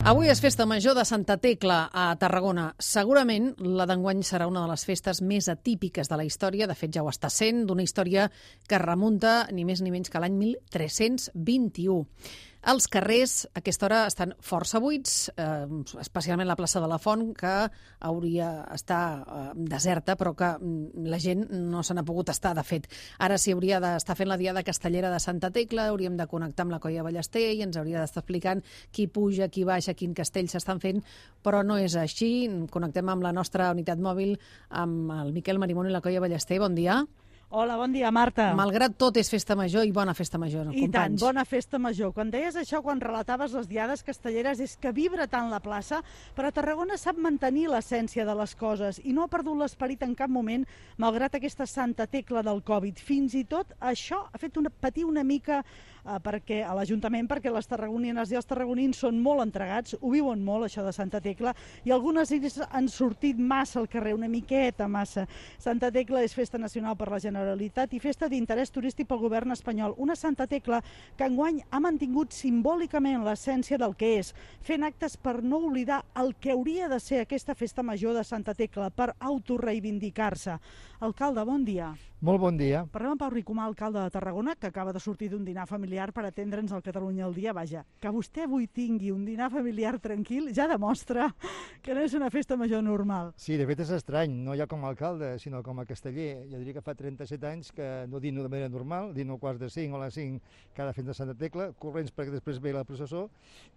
Avui és festa major de Santa Tecla a Tarragona. Segurament la d'enguany serà una de les festes més atípiques de la història. De fet, ja ho està sent, d'una història que remunta ni més ni menys que l'any 1321. Els carrers a aquesta hora estan força buits, especialment la plaça de la Font, que hauria d'estar deserta, però que la gent no se n'ha pogut estar, de fet. Ara s'hi hauria d'estar fent la diada castellera de Santa Tecla, hauríem de connectar amb la Colla Ballester i ens hauria d'estar explicant qui puja, qui baixa, quin castell s'estan fent, però no és així. Connectem amb la nostra unitat mòbil, amb el Miquel Marimón i la Colla Ballester. Bon dia. Hola, bon dia, Marta. Malgrat tot, és festa major i bona festa major, companys. I tant, bona festa major. Quan deies això, quan relataves les diades castelleres, és que vibra tant la plaça, però Tarragona sap mantenir l'essència de les coses i no ha perdut l'esperit en cap moment, malgrat aquesta Santa Tecla del Covid. Fins i tot això ha fet patir una mica perquè a l'Ajuntament, perquè les tarragonines i els tarragonins són molt entregats, ho viuen molt, això de Santa Tecla, i algunes han sortit massa al carrer, una miqueta massa. Santa Tecla és festa nacional per la Generalitat i festa d'interès turístic pel govern espanyol. Una Santa Tecla que enguany ha mantingut simbòlicament l'essència del que és, fent actes per no oblidar el que hauria de ser aquesta festa major de Santa Tecla, per autoreivindicar-se. Alcalde, bon dia. Molt bon dia. Parlem amb Pau Ricomà, alcalde de Tarragona, que acaba de sortir d'un dinar familiar per atendre'ns al Catalunya al dia. Vaja, que vostè avui tingui un dinar familiar tranquil ja demostra que no és una festa major normal. Sí, de fet és estrany, no ja com a alcalde, sinó com a casteller. Jo diria que fa 37 anys que no dino de manera normal, dino a quarts de 5 o a les 5 cada festa de Santa Tecla, corrents perquè després ve la processó,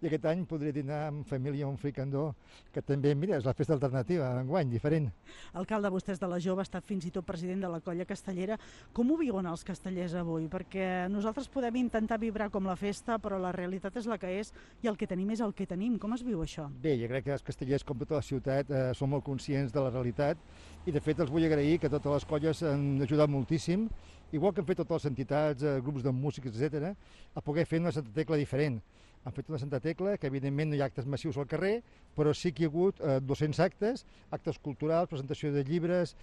i aquest any podré dinar amb família un fricandó, que també, mira, és la festa alternativa, enguany, diferent. Alcalde, vostè és de la Jove, ha estat fins i tot president de la Colla Castellera. Com ho viuen els castellers avui? Perquè nosaltres podem intentar vibrar com la festa, però la realitat és la que és i el que tenim és el que tenim. Com es viu això? Bé, jo crec que els castellers, com tota la ciutat, són molt conscients de la realitat i, de fet, els vull agrair que totes les colles han ajudat moltíssim, igual que han fet totes les entitats, grups de músics, etc., a poder fer una Santa Tecla diferent. Han fet una Santa Tecla que, evidentment, no hi ha actes massius al carrer, però sí que hi ha hagut 200 actes, actes culturals, presentació de llibres,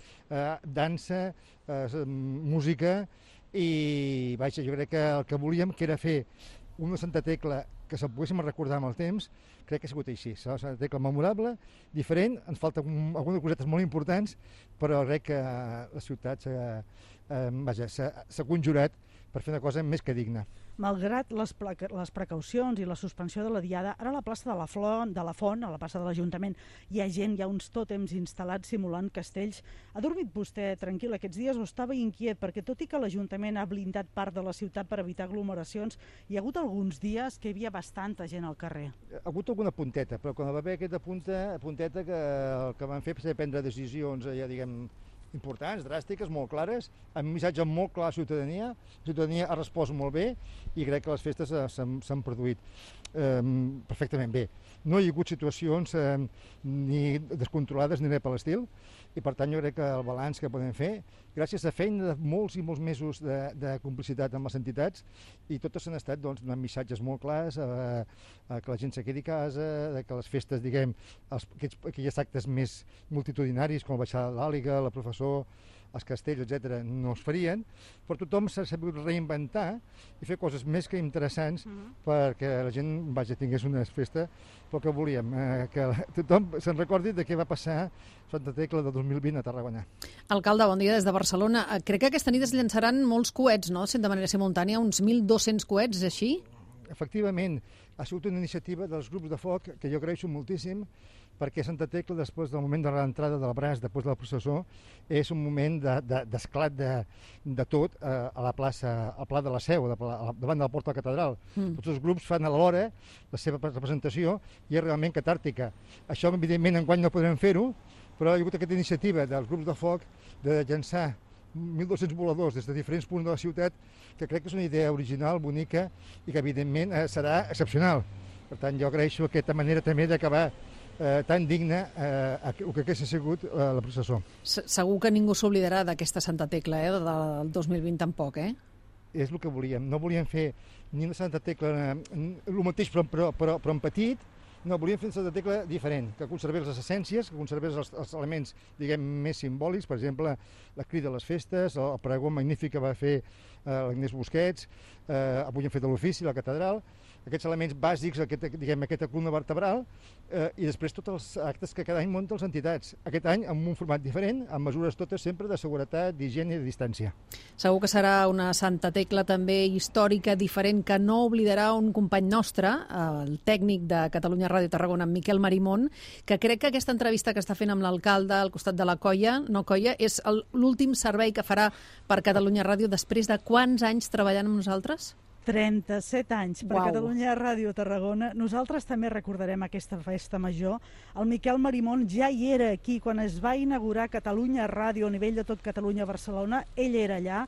dansa, música, i vaja, jo crec que el que volíem, que era fer una Santa Tecla que se'l poguéssim recordar amb el temps, crec que ha sigut així. Serà una Santa Tecla memorable, diferent, ens falten algunes cosetes molt importants, però crec que la ciutat s'ha conjurat per fer una cosa més que digna. Malgrat les precaucions i la suspensió de la diada, ara a la plaça de la Font, a la plaça de l'Ajuntament, hi ha gent, hi ha uns tòtems instal·lats simulant castells. Ha dormit vostè tranquil aquests dies o estava inquiet? Perquè tot i que l'Ajuntament ha blindat part de la ciutat per evitar aglomeracions, hi ha hagut alguns dies que hi havia bastanta gent al carrer. Ha hagut alguna punteta, però quan va haver aquesta punteta que el que van fer va ser prendre decisions, ja diguem, importants, dràstiques, molt clares, amb un missatge molt clar a la ciutadania. La ciutadania ha respost molt bé i crec que les festes s'han produït perfectament bé. No hi ha hagut situacions ni descontrolades ni res per l'estil, i per tant jo crec que el balanç que podem fer, gràcies a feina de molts i molts mesos de complicitat amb les entitats, i totes han estat donant missatges molt clars, que la gent se quedi a casa, que les festes, diguem, aquells actes més multitudinaris, com la baixada de l'Àliga, la professor, els castells, etc., no es farien, però tothom s'ha sabut reinventar i fer coses més que interessants perquè la gent, tingués una festa pel que volíem, que tothom se'n recordi de què va passar Santa Tecla del 2020 a Tarragona. Alcalde, bon dia des de Barcelona. Crec que aquesta nit es llançaran molts coets, no?, de manera simultània, uns 1.200 coets, és així? Efectivament, ha sigut una iniciativa dels grups de foc que jo agraeixo moltíssim, perquè Santa Tecla, després del moment de l'entrada del braç, després de la processó, és un moment d'esclat de tot a la plaça, al Pla de la Seu, davant de la porta de la catedral. Tots els grups fan alhora la seva representació i és realment catàrtica. Això, evidentment, enguany no podrem fer-ho, però hi ha hagut aquesta iniciativa dels grups de foc de llançar 1.200 voladors des de diferents punts de la ciutat, que crec que és una idea original, bonica, i que, evidentment, serà excepcional. Per tant, jo agraeixo aquesta manera també d'acabar tan digna el que hagués sigut la processó. Segur que ningú s'oblidarà d'aquesta Santa Tecla, del 2020 tampoc, És el que volíem. No volíem fer ni una Santa Tecla, el mateix però en petit. No, volíem fer una Santa Tecla diferent, que conservés les essències, que conservés els elements, diguem, més simbòlics, per exemple, la crida a les festes, el pregó magnífic que va fer l'Agnès Busquets, avui hem fet a l'ofici, la catedral, aquests elements bàsics, aquesta columna vertebral, i després tots els actes que cada any munten les entitats. Aquest any amb un format diferent, amb mesures totes sempre de seguretat, d'higiene i de distància. Segur que serà una Santa Tecla també històrica, diferent, que no oblidarà un company nostre, el tècnic de Catalunya Ràdio Tarragona, en Miquel Marimón, que crec que aquesta entrevista que està fent amb l'alcalde al costat de la colla, és l'últim servei que farà per Catalunya Ràdio després de quants anys treballant amb nosaltres? 37 anys per Uau. Catalunya Ràdio Tarragona. Nosaltres també recordarem aquesta festa major. El Miquel Marimón ja hi era aquí quan es va inaugurar Catalunya Ràdio a nivell de tot Catalunya a Barcelona. Ell era allà.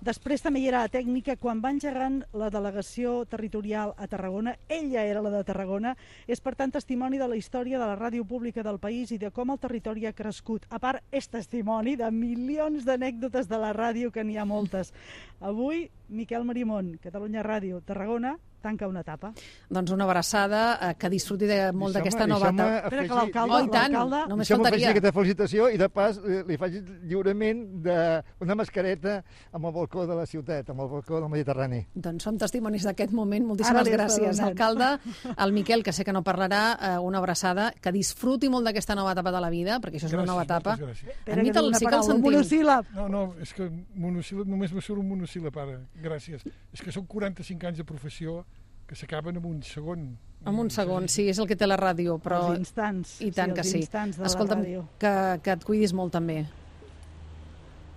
Després també hi era a Tècnica. Quan va engegant la delegació territorial a Tarragona, ell ja era la de Tarragona. És, per tant, testimoni de la història de la ràdio pública del país i de com el territori ha crescut. A part, és testimoni de milions d'anècdotes de la ràdio, que n'hi ha moltes. Avui, Miquel Marimón, Catalunya Ràdio, Tarragona, tanca una etapa. Doncs una abraçada, que disfruti molt d'aquesta nova etapa. Espera, que l'alcalde... Oh, i tant, només faltaria. Aquesta felicitació i de pas li faig lliurement d'una mascareta amb el balcó de la ciutat, amb el balcó del Mediterrani. Doncs som testimonis d'aquest moment. Moltíssimes gràcies, alcalde. El Miquel, que sé que no parlarà, una abraçada, que disfruti molt d'aquesta nova etapa de la vida, perquè això és una nova etapa. Espera, que diu una paraula, un monosíl·lab. No, és que monosíl·lab, només me surt un monosíl·lab ara. Gràcies. És que són 45 anys de professió que s'acaben en un segon. En un segon, sí, és el que té la ràdio, però... Els instants. I tant que sí. Escolta'm, que et cuidis molt també.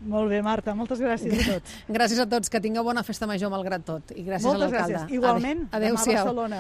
Molt bé, Marta, moltes gràcies a tots. Gràcies a tots, que tingueu bona festa major malgrat tot. I gràcies a l'alcalde. Moltes gràcies. Igualment, demà a Barcelona.